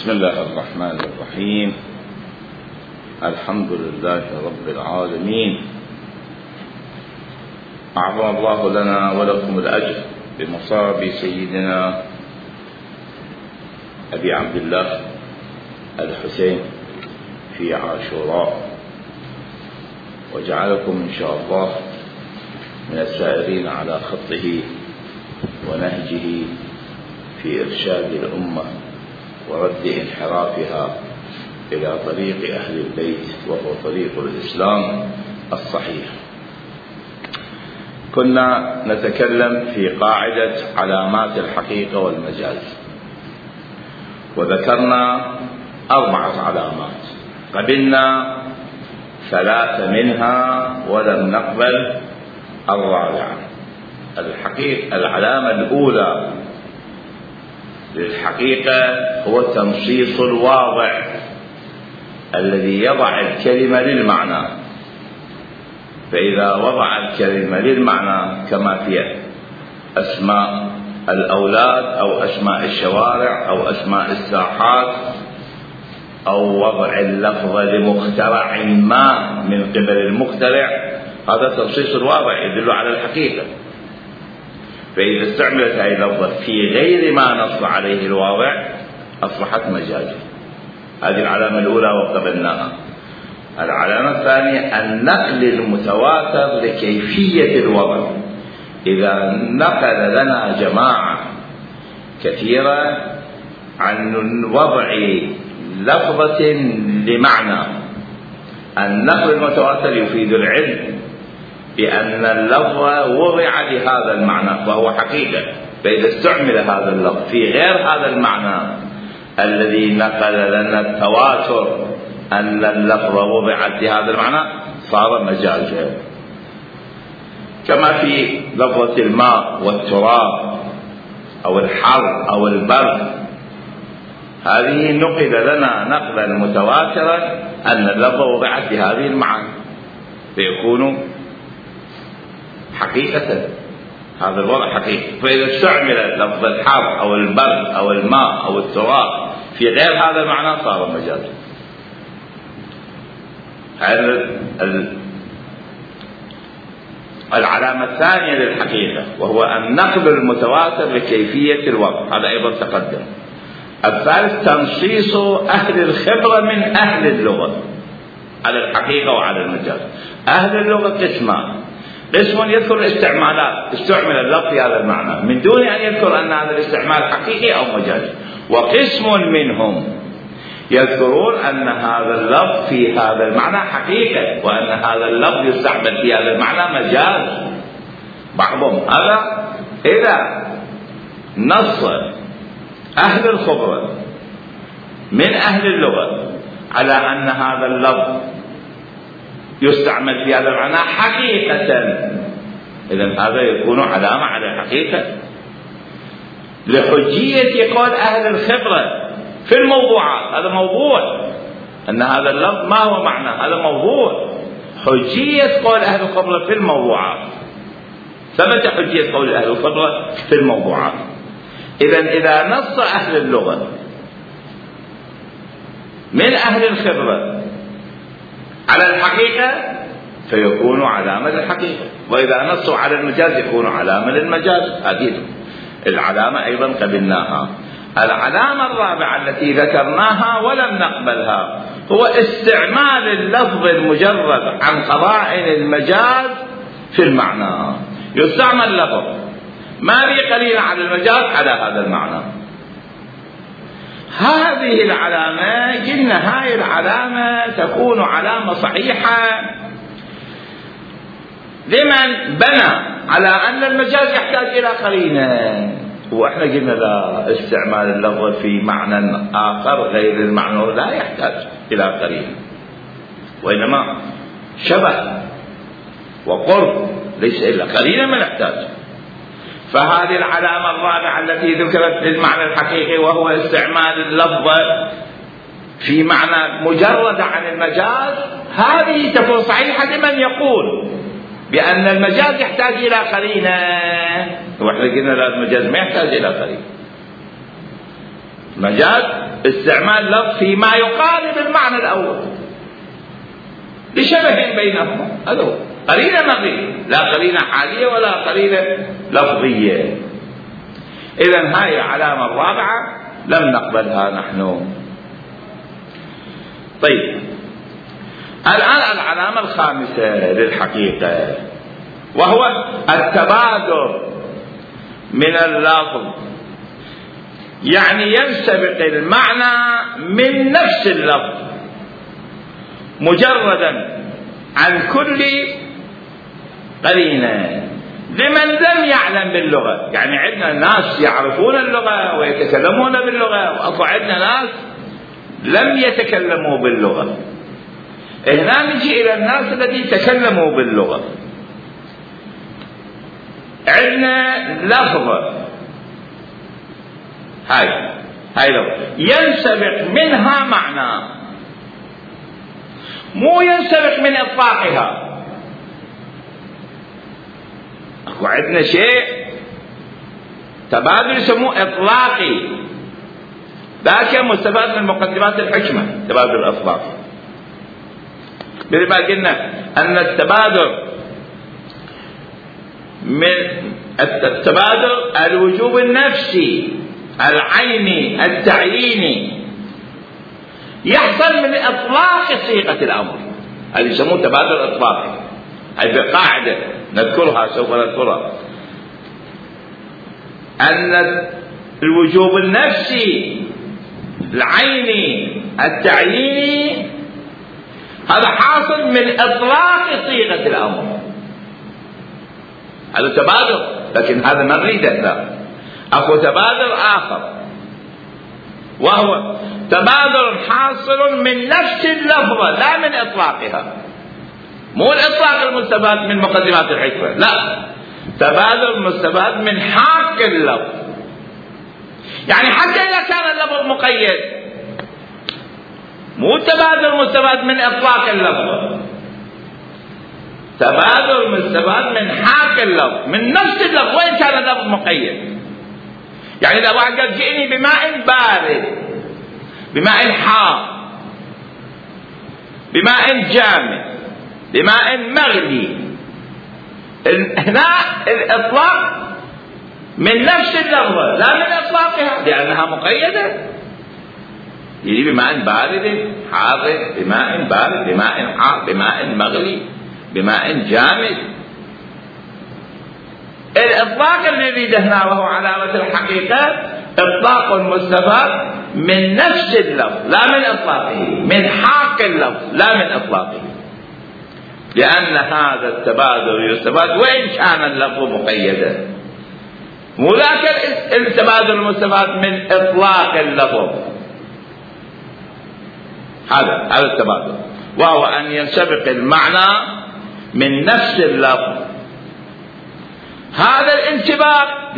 بسم الله الرحمن الرحيم. الحمد لله رب العالمين. أعظم الله لنا ولكم الأجر بمصاب سيدنا أبي عبد الله الحسين في عاشوراء، وجعلكم إن شاء الله من السائرين على خطه ونهجه في إرشاد الأمة ورد انحرافها إلى طريق أهل البيت، وهو طريق الإسلام الصحيح. كنا نتكلم في قاعدة علامات الحقيقة والمجاز، وذكرنا 4 علامات، قبلنا 3 منها ولم نقبل الرابعة. العلامة الأولى للحقيقة هو تنصيص الواضع الذي يضع الكلمة للمعنى. فإذا وضع الكلمة للمعنى كما في أسماء الأولاد أو أسماء الشوارع أو أسماء الساحات، أو وضع اللفظ لمخترع ما من قبل المخترع، هذا تنصيص الواضع يدل على الحقيقة. فإذا استعملت هذه اللفظة في غير ما نص عليه الواضع أصبحت مجازا. هذه العلامة الأولى وقبلناها. العلامة الثانية النقل المتواتر لكيفية الوضع. إذا نقل لنا جماعة كثيرة عن وضع لفظة لمعنى، النقل المتواتر يفيد العلم بأن اللفظ وضع لهذا المعنى فهو حقيقة. فإذا استعمل هذا اللفظ في غير هذا المعنى الذي نقل لنا التواتر أن اللفظ وضعت لهذا المعنى صار مجازا. كما في لفظة الماء والتراب أو الحر أو البرد، هذه نقل لنا نقلا متواترا أن اللفظ وضعت لهذه المعنى فيكون حقيقة. هذا الوضع حقيقي. فإذا استعمل لفظ الحر أو البرد أو الماء أو التراب في غير هذا المعنى صار مجازا. هذا العلامة الثانية للحقيقة، وهو النقل المتواتر لكيفية الوضع، هذا أيضا تقدم. الثالث تنصيص أهل الخبرة من أهل اللغة على الحقيقة وعلى المجاز. أهل اللغة قسمان: قسم يذكر الاستعمالات، استعمل اللفظ في هذا المعنى من دون أن يذكر أن هذا الاستعمال حقيقي أو مجازي. وقسم منهم يذكرون أن هذا اللفظ في هذا المعنى حقيقة، وأن هذا اللفظ يستعمل في هذا المعنى مجاز. بعضهم هذا إذا نص أهل الخبرة من أهل اللغة على أن هذا اللفظ يستعمل في هذا المعنى حقيقة، إذن هذا يكون علامة على الحقيقة. لحجية قول أهل الخبرة في الموضوعات، هذا موضوع، أن هذا اللفظ ما هو معنى، هذا موضوع. حجية قول أهل الخبرة في الموضوعات، ثبت حجية قول أهل الخبرة في الموضوعات. إذن إذا نص أهل اللغة من أهل الخبرة على الحقيقة فيكون علامة الحقيقة، وإذا نصوا على المجاز يكون علامة للمجاز. هذه العلامة أيضا قبلناها. العلامة الرابعة التي ذكرناها ولم نقبلها هو استعمال اللفظ المجرد عن قرائن المجاز في المعنى. يستعمل لفظ ما به قليل على المجاز على هذا المعنى. هذه العلامة قلنا هاي العلامة تكون علامة صحيحة لمن بنى على أن المجاز يحتاج إلى قرينة. وإحنا قلنا لا، استعمال اللفظ في معنى آخر غير المعنى لا يحتاج إلى قرينة، وإنما شبه وقرب، ليس إلا قرينة ما نحتاج. فهذه العلامة الرابعة التي ذكرت للمعنى الحقيقي وهو استعمال اللفظ في معنى مجرد عن المجاز، هذه تكون صحيحة لمن يقول بأن المجاز يحتاج إلى قرينة. واحنا قلنا لا، المجاز ما يحتاج إلى قرينة. مجاز استعمال لفظ فيما يقارب المعنى الأول لشبه بينهما، هذا هو قرينة مغرية، لا قرينة حالية ولا قرينة لفظية. إذن هاي العلامة الرابعة لم نقبلها نحن. طيب الآن العلامة الخامسة للحقيقة، وهو التبادر من اللفظ، يعني ينسبق المعنى من نفس اللفظ مجردا عن كل قرينة لمن لم يعلم باللغة. يعني عندنا ناس يعرفون اللغة ويتكلمون باللغة، وأكو عندنا ناس لم يتكلموا باللغة. هنا نجي إلى الناس الذين تكلموا باللغة. عندنا لفظة هاي لفظة ينسبق منها معنى، مو ينسبق من إطلاقها. أكو عندنا شيء تبادل يسموه إطلاقي، ذاك مستفاد من مقدمات الحكمة، تبادل الأطلاق. مثل ما قلنا أن التبادل الوجوب النفسي العيني التعييني يحصل من إطلاق صيغة الأمر، هذا يسموه تبادل إطلاقي. هذه قاعدة نذكرها سوف نذكرها، أن الوجوب النفسي العيني التعييني هذا حاصل من إطلاق صيغة الأمر، هذا تبادل. لكن هذا ما نريده، لا، أكو تبادل آخر، وهو تبادل حاصل من نفس اللفظة لا من إطلاقها، مو الإطلاق المستفاد من مقدمات الحكمة، لا، تبادل مستفاد من حق اللفظ. يعني حتى إذا كان اللفظ مقيد، مو تبادل مستفاد من إطلاق اللفظ، تبادل مستفاد من حق اللفظ، من نفس اللفظ وإن كان اللفظ مقيد. يعني إذا واحد قال جئني بماء بارد، بماء حار، بماء جامد، بماء مغلي، هنا الإطلاق من نفس اللفظة لا من إطلاقها، لأنها مقيدة. يجي بماء بارد حار، بماء بارد، بماء حار، بماء مغلي، بماء جامد. الإطلاق اللي يريده هنا وهو علامة الحقيقة إطلاق مستفاد من نفس اللفظ لا من إطلاقه، من حق اللفظ لا من إطلاقه، لأن هذا التبادل يستفاد وإن كان اللفظ مقيدا، مو ذاك التبادل المستفاد من إطلاق اللفظ. هذا التبادل، وهو أن ينسبق المعنى من نفس اللفظ. هذا الانسباق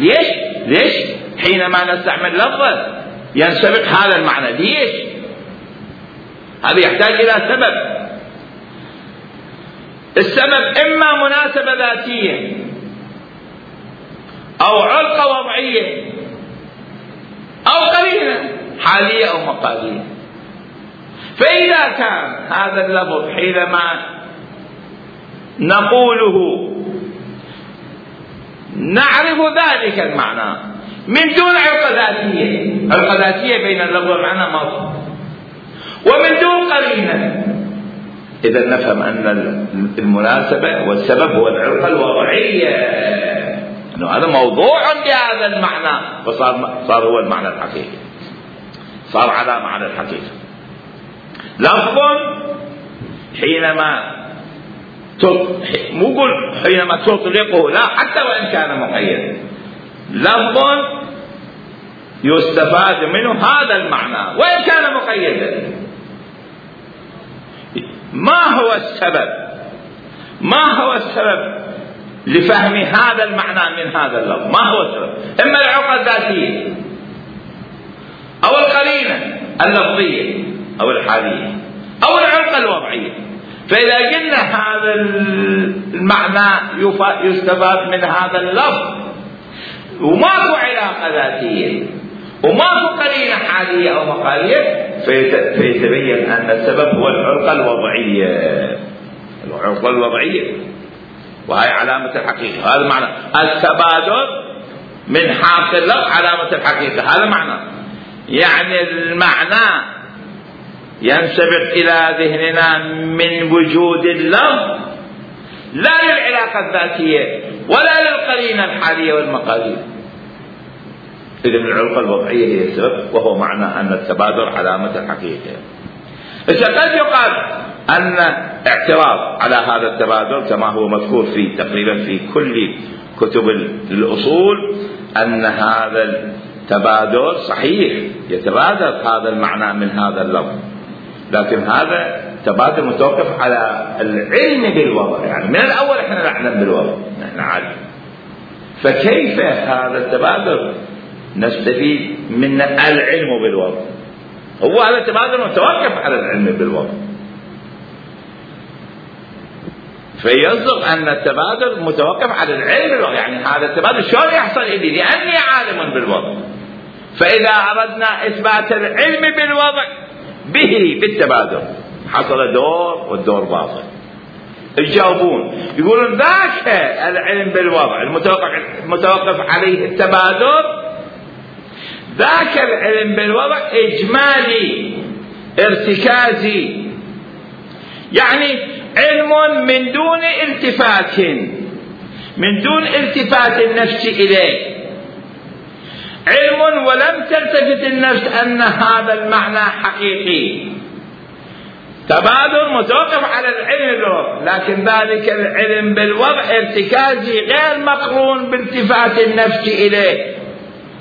ليش حينما نستعمل لفظة ينسبق هذا المعنى؟ ليش؟ هذا يحتاج إلى سبب. السبب إما مناسبة ذاتية أو علقة وضعية أو قرينة حالية أو مقالية. فإذا كان هذا اللفظ حينما نقوله نعرف ذلك المعنى من دون علقة ذاتية، علقة ذاتية بين اللفظ والمعنى مصر، ومن دون قرينة، إذا نفهم أن المناسبة والسبب هو العلقة الوضعية، أنه هذا موضوع لهذا المعنى، فصار هو المعنى الحقيقي، صار علامة على الحقيقة. لفظ حينما مو قل حينما تطلقه، لا، حتى وإن كان مقيدا، لفظ يستفاد منه هذا المعنى وإن كان مقيدا. ما هو السبب لفهم هذا المعنى من هذا اللفظ؟ ما هو السبب؟ إما العلقة الذاتية أو القرينة اللفظية أو الحالية أو العلقة الوضعية. فإذا قلنا هذا المعنى يستفاد من هذا اللفظ وماكو علاقة ذاتية وماكو قرينة حالية الوقائية، فيتبين أن السبب هو العرقة الوضعية. العرقة الوضعية، وهي علامة الحقيقة. هذا معنى التبادل من حاصل اللفظ علامة الحقيقة. هذا معنى، يعني المعنى ينسبق إلى ذهننا من وجود اللفظ، لا للعلاقة الذاتية ولا للقرينة الحالية والمقاليد. إذن العلاقة الوضعية هي السبب، وهو معنى أن التبادل علامة الحقيقة. إذا قد يقال أن اعتراض على هذا التبادل كما هو مذكور في تقريبا في كل كتب الأصول، أن هذا التبادل صحيح يتبادل هذا المعنى من هذا اللفظ، لكن هذا تبادل متوقف على العلم بالوضع. يعني من الأول احنا نعلم بالوضع، نحن عالم، فكيف هذا التبادل نستفيد من العلم بالوضع؟ هو هذا التبادل متوقف على العلم بالوضع، فيصدق أن التبادل متوقف على العلم بالوضع. يعني هذا التبادل شلون يحصل إلي؟ لأني عالم بالوضع. فإذا أردنا إثبات العلم بالوضع به بالتبادل، حصل دور والدور باطل. يجاوبون يقولون ذاك العلم بالوضع المتوقف عليه التبادل، ذاك العلم بالوضع إجمالي ارتكازي، يعني علم من دون التفات، من دون التفات النفس إليه، علم ولم تلتفت النفس أن هذا المعنى حقيقي. تبادل متوقف على العلم بالوضع، لكن ذلك العلم بالوضع ارتكازي غير مقرون بالتفات النفس إليه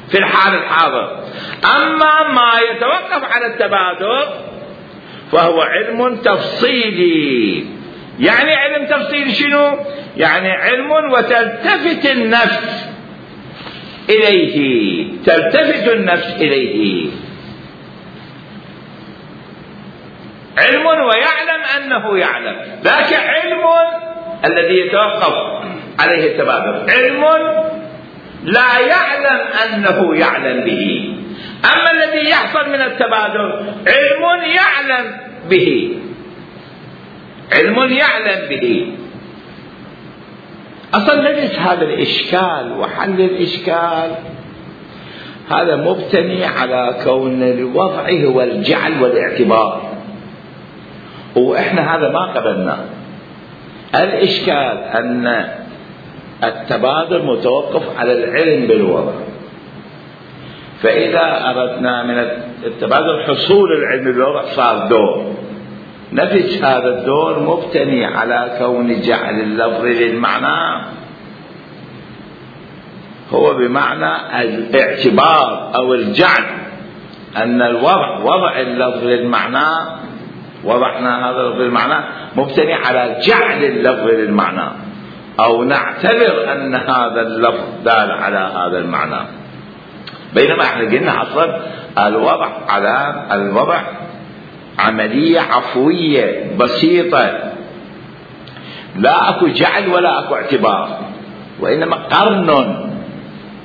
في الحال الحاضر. أما ما يتوقف على التبادل فهو علم تفصيلي. يعني علم تفصيلي شنو؟ يعني علم وتلتفت النفس إليه، تلتفت النفس إليه، علم ويعلم أنه يعلم. ذاك علم الذي يتوقف عليه التبادل، علم لا يعلم أنه يعلم به. أما الذي يحصل من التبادل علم يعلم به، علم يعلم به. أصلا نجد هذا الإشكال وحل الإشكال هذا مبتني على كون الوضع هو الجعل والاعتبار، وإحنا هذا ما قبلنا. الإشكال أن التبادل متوقف على العلم بالوضع، فإذا أردنا من التبادل حصول العلم بالوضع صار دور، نفس هذا الدور مبتني على كون جعل اللفظ للمعنى هو بمعنى الاعتبار أو الجعل، أن الوضع وضع اللفظ للمعنى، وضعنا هذا اللفظ للمعنى مبتني على جعل اللفظ للمعنى، أو نعتبر أن هذا اللفظ دال على هذا المعنى. بينما احنا قلنا أصلا الوضع عملية عفوية بسيطة، لا أكو جعل ولا أكو اعتبار، وإنما قرن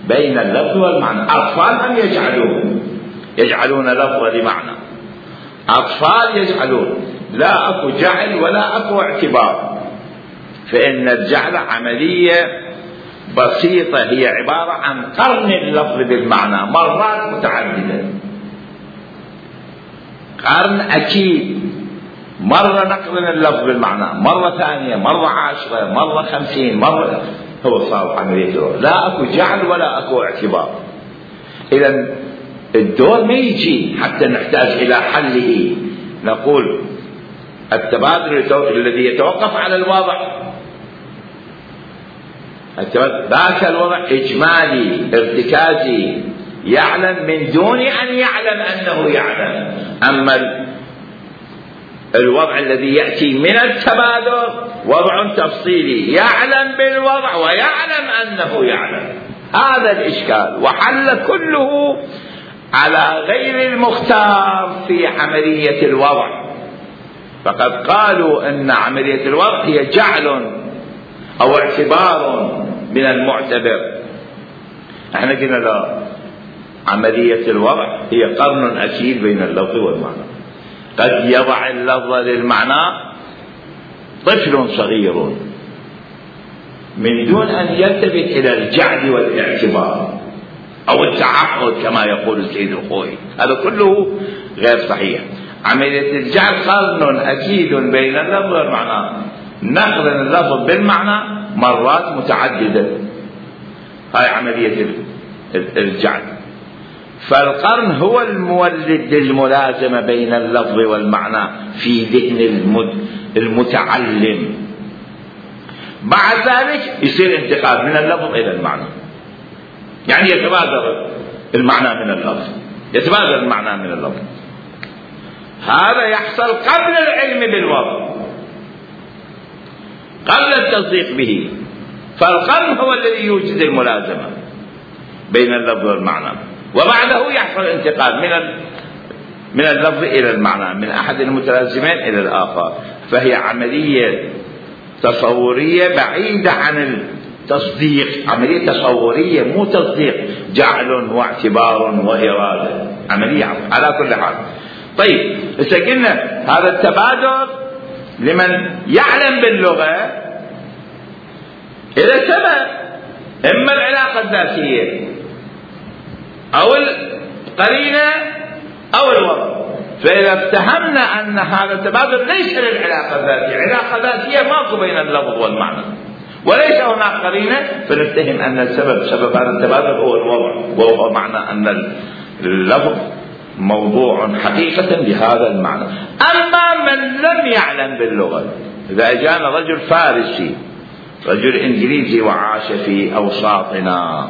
بين اللفظ والمعنى. أطفال هم يجعلون لفظ لمعنى، أطفال يجعلون، لا أكو جعل ولا أكو اعتبار، فإن الجعل عملية بسيطة هي عبارة عن قرن اللفظ بالمعنى مرات متعددة، قرن أكيد، مرة نقرن اللفظ بالمعنى، مرة ثانية، مرة 10، مرة 50، مرة، هو صار عملية دور، لا أكو جعل ولا أكو اعتبار. إذن الدور ما يجي حتى نحتاج إلى حله. نقول التبادل الذي يتوقف على الوضع، ذاك الوضع إجمالي ارتكازي، يعلم من دون أن يعلم أنه يعلم. أما الوضع الذي يأتي من التبادل وضع تفصيلي، يعلم بالوضع ويعلم أنه يعلم. هذا الإشكال، وحل كله على غير المختار في عملية الوضع. فقد قالوا أن عملية الوضع هي جعل أو اعتبار من المعتبر. احنا قلنا لا، عملية الوضع هي قرن أكيد بين اللفظ والمعنى. قد يضع اللفظ للمعنى طفل صغير من دون أن يلتفت إلى الجعل والاعتبار أو التعهد كما يقول السيد الخوئي، هذا كله غير صحيح. عملية الجعل قرن أكيد بين اللفظ والمعنى، نقرن اللفظ بالمعنى مرات متعددة، هاي عملية الجعل. فالقرن هو المولد للملازمة بين اللفظ والمعنى في ذهن المتعلم. بعد ذلك يصير انتقال من اللفظ إلى المعنى، يعني يتبادر المعنى من اللفظ، يتبادر المعنى من اللفظ. هذا يحصل قبل العلم بالوضع، قبل التصديق به. فالقرن هو الذي يوجد الملازمة بين اللفظ والمعنى، وبعده يحصل الانتقال من اللفظ إلى المعنى، من أحد المتلازمين إلى الآخر. فهي عملية تصورية بعيدة عن التصديق، عملية تصورية مو تصديق، جعل واعتبار وإرادة، عملية على كل حال. طيب إذا قلنا هذا التبادل لمن يعلم باللغة إذا سبب إما العلاقة الذاتية أو القرينة أو الوضع. فإذا افتهمنا أن هذا التبادل ليس للعلاقة الذاتية، علاقة ذاتية ماكو بين اللفظ والمعنى وليس هناك قرينة، فنفتهم أن السبب سبب هذا التبادل هو الوضع، وهو معنى أن اللفظ موضوع حقيقة بهذا المعنى. أما من لم يعلم باللغة، إذا جاءنا رجل فارسي، رجل إنجليزي وعاش في أوساطنا،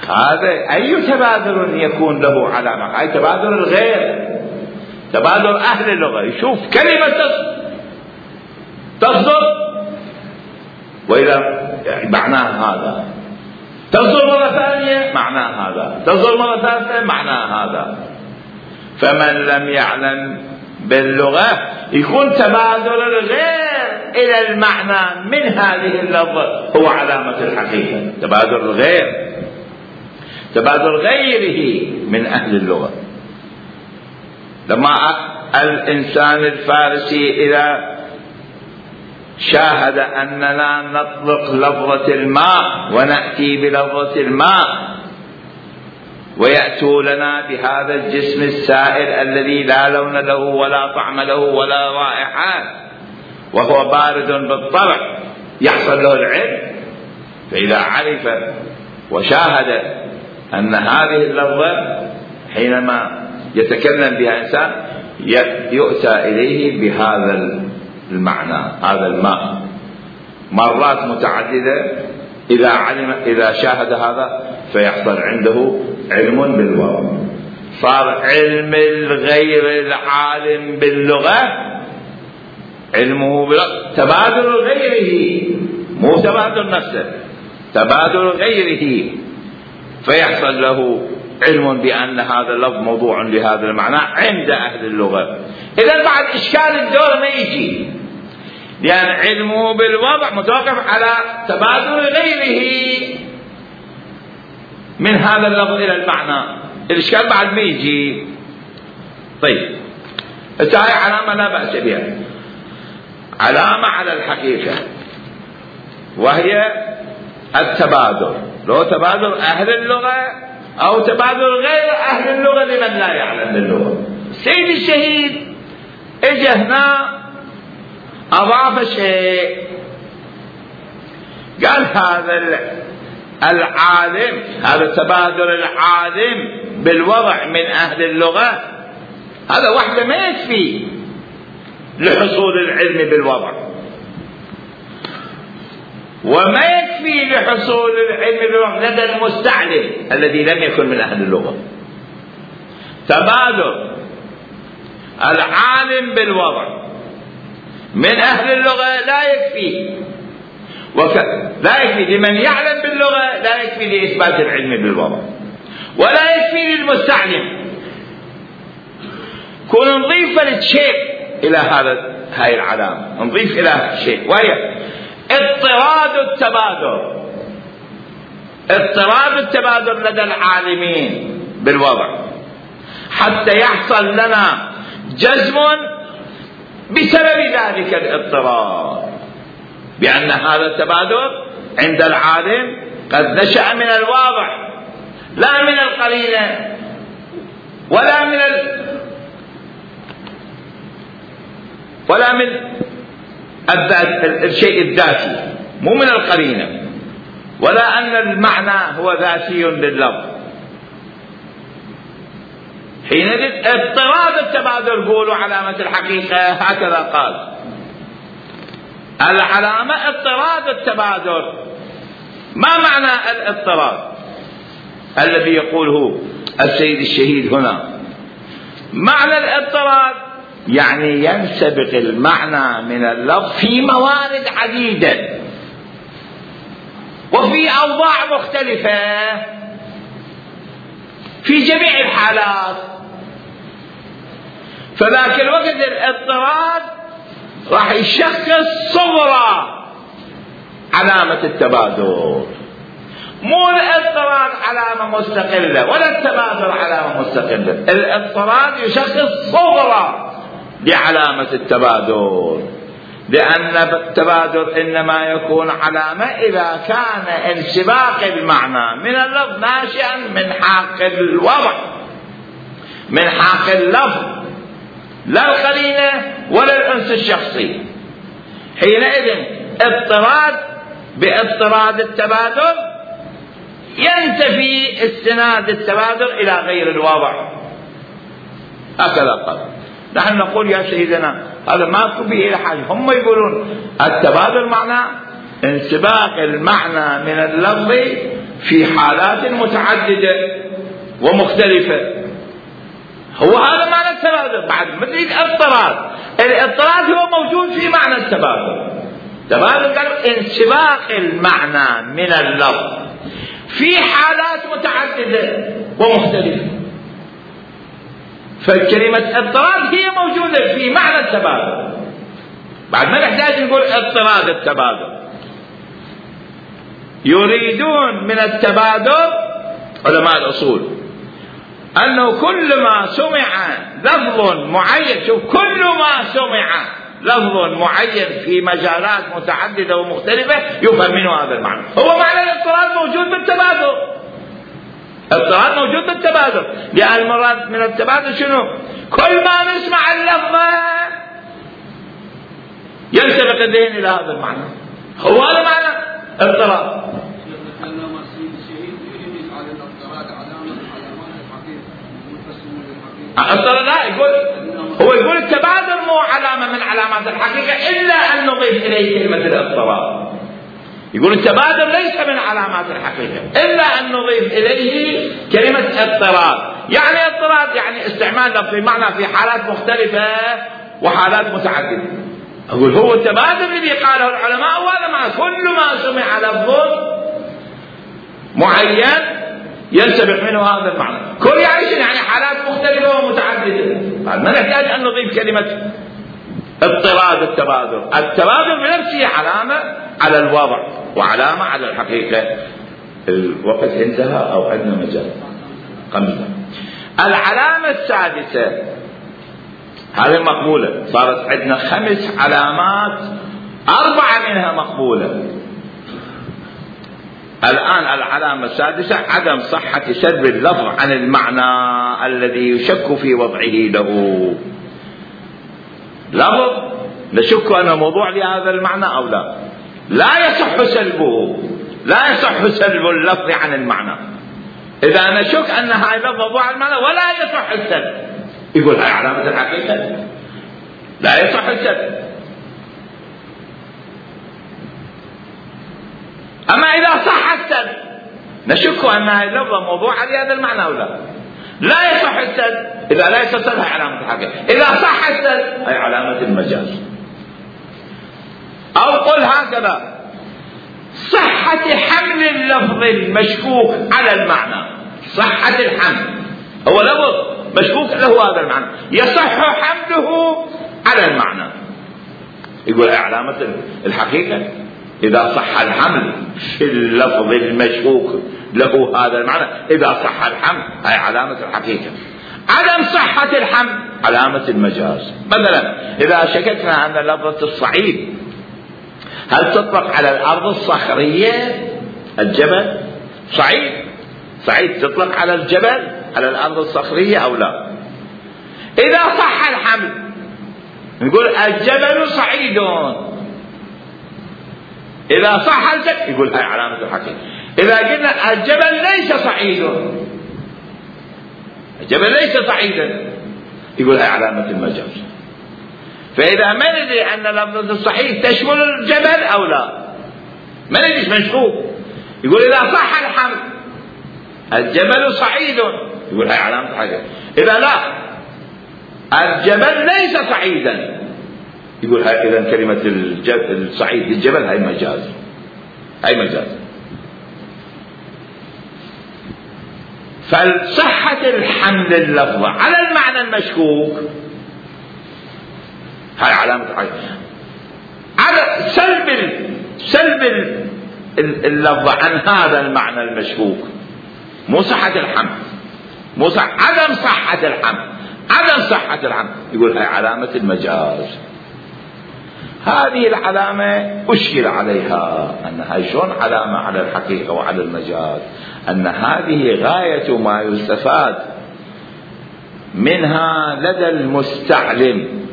هذا أي تبادل يكون له علامة؟ أي تبادل الغير، تبادل أهل اللغة، يشوف كلمة تصدر وإذا معناه هذا، تصدر مرة ثانية معناه هذا، تصدر مرة ثالثة معناه هذا. فمن لم يعلم باللغة يكون تبادل الغير إلى المعنى من هذه اللفظة هو علامة الحقيقة، تبادل الغير، تبادل غيره من أهل اللغة. لما الإنسان الفارسي إذا شاهد أننا نطلق لفظة الماء ونأتي بلفظة الماء ويأتوا لنا بهذا الجسم السائل الذي لا لون له ولا طعم له ولا رائحة وهو بارد بالطبع، يحصل له العلم. فإذا عرف وشاهد أن هذه اللفظة حينما يتكلم بها إنسان يؤتى إليه بهذا المعنى، هذا الماء مرات متعددة، إذا شاهد هذا فيحصل عنده علم بالوضع. صار علم الغير العالم باللغة علمه تبادل غيره، مو تبادل نفسه، تبادل غيره، فيحصل له علم بأن هذا اللفظ موضوع لهذا المعنى عند أهل اللغة. إذا بعد إشكال الدور ما يجي، لأن علمه بالوضع متوقف على تبادل غيره من هذا اللفظ إلى المعنى، الإشكال بعد ما يجي. طيب هاي علامة لا بأس بها، علامة على الحقيقة، وهي التبادل، لو تبادل أهل اللغة أو تبادل غير أهل اللغة لمن لا يعلم باللغة. سيد الشهيد اجى هنا أضاف شيء، قال هذا العالم، هذا تبادل العالم بالوضع من أهل اللغة، هذا وحده ما يكفي لحصول العلم بالوضع، وما يكفي لحصول العلم بالوضع لدى المستعلم الذي لم يكن من أهل اللغة. تبادل العالم بالوضع من أهل اللغة لا يكفي، لا يكفي لمن يعلم باللغة، لا يكفي لإثبات العلم بالوضع، ولا يكفي للمستعلم. كون نضيف شيء إلى هاي العلامة، نضيف إلى شيء، وهي اضطراد التبادل. اضطراب التبادل لدى العالمين بالوضع، حتى يحصل لنا جزم بسبب ذلك الاضطراب بأن هذا التبادل عند العالم قد نشأ من الواضح لا من القرينة ولا من الشيء الذاتي، مو من القرينة، ولا أن المعنى هو ذاتي لللفظ. حينئذ اضطراد التبادل قولوا علامة الحقيقة، هكذا قال العلامة اضطراد التبادل. ما معنى الاضطراد الذي يقوله السيد الشهيد هنا؟ معنى الاضطراد يعني ينسبق المعنى من اللفظ في موارد عديدة وفي أوضاع مختلفة في جميع الحالات. فذاك الوقت الاضطراد راح يشخص صغرى علامة التبادل، مو الاضطراد علامة مستقلة ولا التبادل علامة مستقلة. الاضطراد يشخص صغرى لعلامة التبادل، لأن التبادل إنما يكون علامة إذا كان انسباق المعنى من اللفظ ناشئا من حق الوضع، من حق اللفظ، لا القرينة ولا الأنس الشخصي. حينئذ اضطراد باضطراد التبادل ينتفي استناد التبادل إلى غير الوضع، هكذا قال. نحن نقول يا سيدنا هذا ما به إلى حاجة. هم يقولون التبادل معناه انسباق المعنى من اللفظ في حالات متعددة ومختلفة، هو هذا معنى التبادل. بعد مثل الاضطراد هو موجود في معنى التبادل. التبادل قال انسباق المعنى من اللفظ في حالات متعددة ومختلفة، فالكلمة اضطراد هي موجودة في معنى التبادل. بعد ما نحتاج نقول اضطراد التبادل. يريدون من التبادل علماء الأصول أنه كل ما سمع لفظ معين، شوف، كل ما سمع لفظ معين في مجالات متعددة ومختلفة يفهم منه هذا المعنى. هو معنى الاضطراد موجود بالتبادل. الاضطراد موجود بالتبادل، لأن المراد من التبادل شنو؟ كل ما نسمع اللفظ ينسبق الذهن إلى هذا المعنى، هو هذا معنى اضطراد. هو يقول التبادل مو علامة من علامات الحقيقة إلا أن نضيف إليه كلمة الاضطراد. يقول التبادل ليس من علامات الحقيقة إلا أن نضيف إليه كلمة اضطراد. يعني اضطراد يعني استعمال لفظ المعنى في حالات مختلفة وحالات متعددة. أقول هو التبادل الذي قاله العلماء وهذا معنى كل ما سمع لفظ معين ينسبق منه هذا المعنى. كل يعني حالات مختلفة ومتعددة. ما نحتاج أن نضيف كلمة اضطراد التبادل. التبادل بنفسه علامة على الوضع وعلامة على الحقيقة. الوقت انتهى أو عندنا مجال؟ خمسة. العلامة السادسة هذه مقبولة، صارت عندنا 5 علامات، 4 منها مقبولة. الآن العلامة السادسة عدم صحة سلب اللفظ عن المعنى الذي يشك في وضعه له. لفظ نشك أنه موضوع لهذا المعنى أو لا، لا يصح سلبه، لا يصح سلب اللفظ عن المعنى. إذا نشك أن هذا اللفظ موضوع المعنى ولا يصح السلب، يقول هاي علامة الحقيقة، لا يصح السلب. أما إذا صح السلب نشك أن هذا اللفظ موضوع لهذا المعنى أو لا، لا يصح السلب. إذا لا يصح السلب هي علامة الحقيقة، إذا صح السلب هي علامة المجاز. أو قل هكذا: صحة حمل اللفظ المشكوك على المعنى. صحة الحمل، هو لفظ مشكوك له هذا المعنى، يصح حمله على المعنى، يقول علامة الحقيقة. إذا صح الحمل في اللفظ المشكوك له هذا المعنى، إذا صح الحمل هي علامة الحقيقة. عدم صحة الحمل علامة المجاز. مثلا إذا شككنا أن لفظة الصعيد هل تطلق على الأرض الصخرية الجبل؟ صعيد تطلق على الجبل، على الأرض الصخرية أو لا؟ إذا صح الحمل نقول الجبل صعيد، إذا صح الجبل يقول هاي علامة الحقيقة. إذا قلنا الجبل ليس صعيد، الجبل ليس صعيدا، يقول هاي علامة المجاز. فإذا ما ندري أن لفظة الصعيد تشمل الجبل أو لا، ما ندري مشكوك، يقول إذا صح الحمل الجبل صعيد، يقول هاي علامة الحقيقة. إذا لا الجبل ليس صعيدا، يقول هاي إذا كلمة الصعيد للجبل هاي مجاز، هاي مجاز. فصحة الحمل اللفظة على المعنى المشكوك هاي علامة الحقيقة. على سلب اللفظة عن هذا المعنى المشكوك، مو صحة الحمل، مو صح، عدم صحة الحمل، عدم صحة الحمل، يقول هاي علامة المجاز. هذه العلامة أشكل عليها أنها شلون علامة على الحقيقة وعلى المجاز، أن هذه غاية ما يستفاد منها لدى المستعلم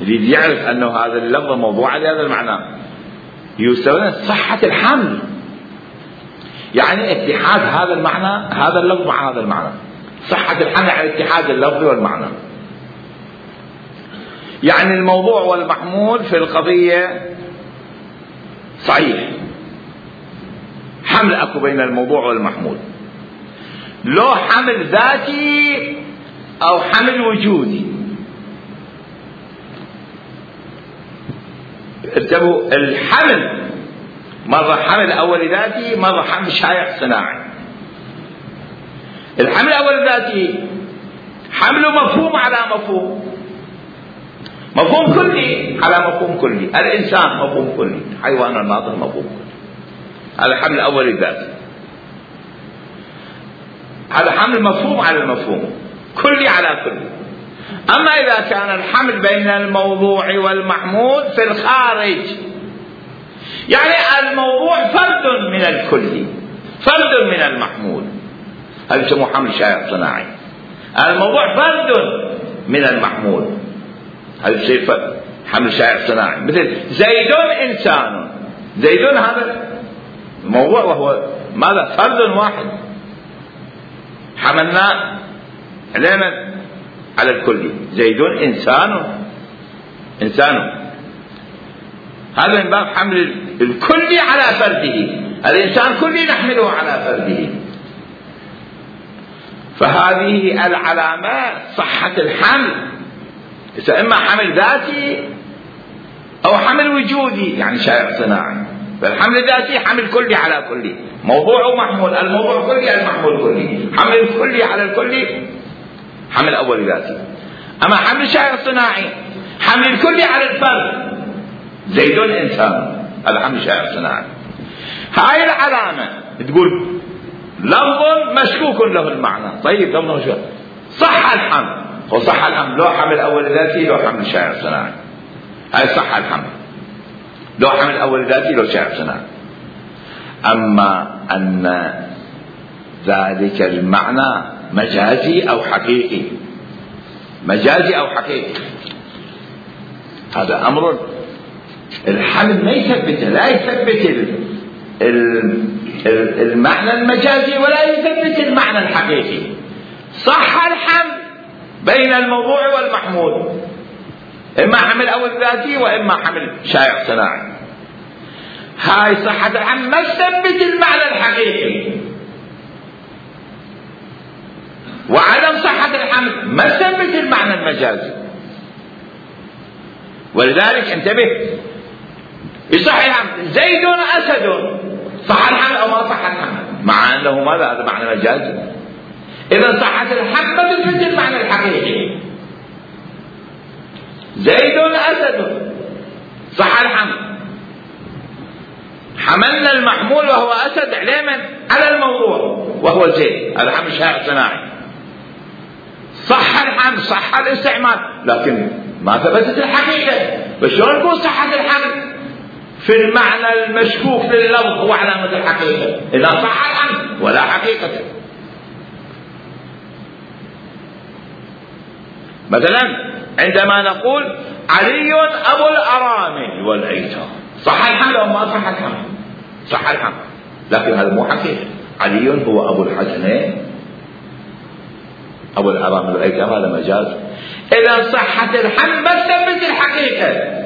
يريد يعرف أنه هذا اللفظ موضوع لهذا المعنى، يستفاد صحة الحمل، يعني اتحاد هذا المعنى، هذا اللفظ مع هذا المعنى. صحة الحمل على اتحاد اللفظ والمعنى، يعني الموضوع والمحمول في القضية صحيح، حمل أكو بين الموضوع والمحمول، لو حمل ذاتي أو حمل وجودي. انتبهوا، الحمل مرة حمل أول ذاتي، مرة حمل شائع صناعي. الحمل الأول ذاتي حمله مفهوم على مفهوم، مفهوم كلي على مفهوم كلي، الإنسان مفهوم كلي، حيوان الناطق مفهوم كلي، هذا الحمل الأول الذاتي. هذا حمل مفهوم على المفهوم، كلي على كلي. أما إذا كان الحمل بين الموضوع والمحمول في الخارج، يعني الموضوع فرد من الكلي، فرد من المحمول، هذا يسموه حمل شائع صناعي. الموضوع فرد من المحمول، هذا يصير حمل شائع صناعي. مثل زيد إنسان، زيد هذا الموضوع وهو ماذا؟ فرد واحد حملناه علينا على الكل. زيد إنسان هذا من باب حمل الكل على فرده، الإنسان كلي نحمله على فرده. فهذه العلامات صحة الحمل، إما حمل ذاتي أو حمل وجودي يعني شائع صناعي. فالحمل الذاتي حمل كلي على كلي، موضوع ومحمول، الموضوع كلي المحمول كلي، حمل الكلي على الكلي حمل أول ذاتي. أما حمل شائع صناعي حمل الكلي على الفرد، زيد إنسان، هذا حمل شائع صناعي. هاي العلامة تقول لفظ مشكوك له المعنى، طيب لفظ مشكوك، صح الحمل، وصح الحمل لو حمل أول ذاتي لو حمل شائع صناعي، هاي صح الحمل لو حمل أول ذاتي لو شائع صناعي. أما أن ذلك المعنى مجازي أو حقيقي، مجازي أو حقيقي، هذا أمر الحمل ما يثبته، لا يثبت المعنى المجازي ولا يثبت المعنى الحقيقي. صح الحمل بين الموضوع والمحمول، إما حمل أول ذاتي وإما حمل شائع صناعي. هاي صحة الحمل ما تثبت المعنى الحقيقي، وعدم صحة الحمل ما تثبت المعنى المجازي. ولذلك انتبه، يصح الحمل زيد أسد، صح الحمل أو ما صح الحمل، مع أنه ماذا؟ هذا معنى مجازي. إذا صحة الحمل ما تثبت المعنى الحقيقي. زيد أسد صح الحمل، حملنا المحمول وهو أسد عليه من؟ على الموضوع وهو زيد، هذا حمل شائع صناعي. صح الحمل، صح الاستعمال، لكن ما ثبتت الحقيقة. فشلون نقول صحة الحمل في المعنى المشكوك لللفظ وعلامة الحقيقة إذا صح الحمل ولا حقيقة؟ مثلا عندما نقول علي أبو الأرامل والأيتام، صح الحمل أو ما صح الحمل؟ صح الحمل، لكن هذا مو حقيقة. علي هو أبو الحسنين، أبو الأرامل والأيتام هذا مجاز. إذا صحة الحمل ما تثبت الحقيقة.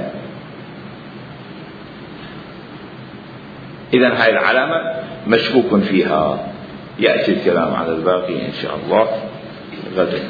إذن هاي العلامة مشكوك فيها. يأتي الكلام على الباقي إن شاء الله غدا.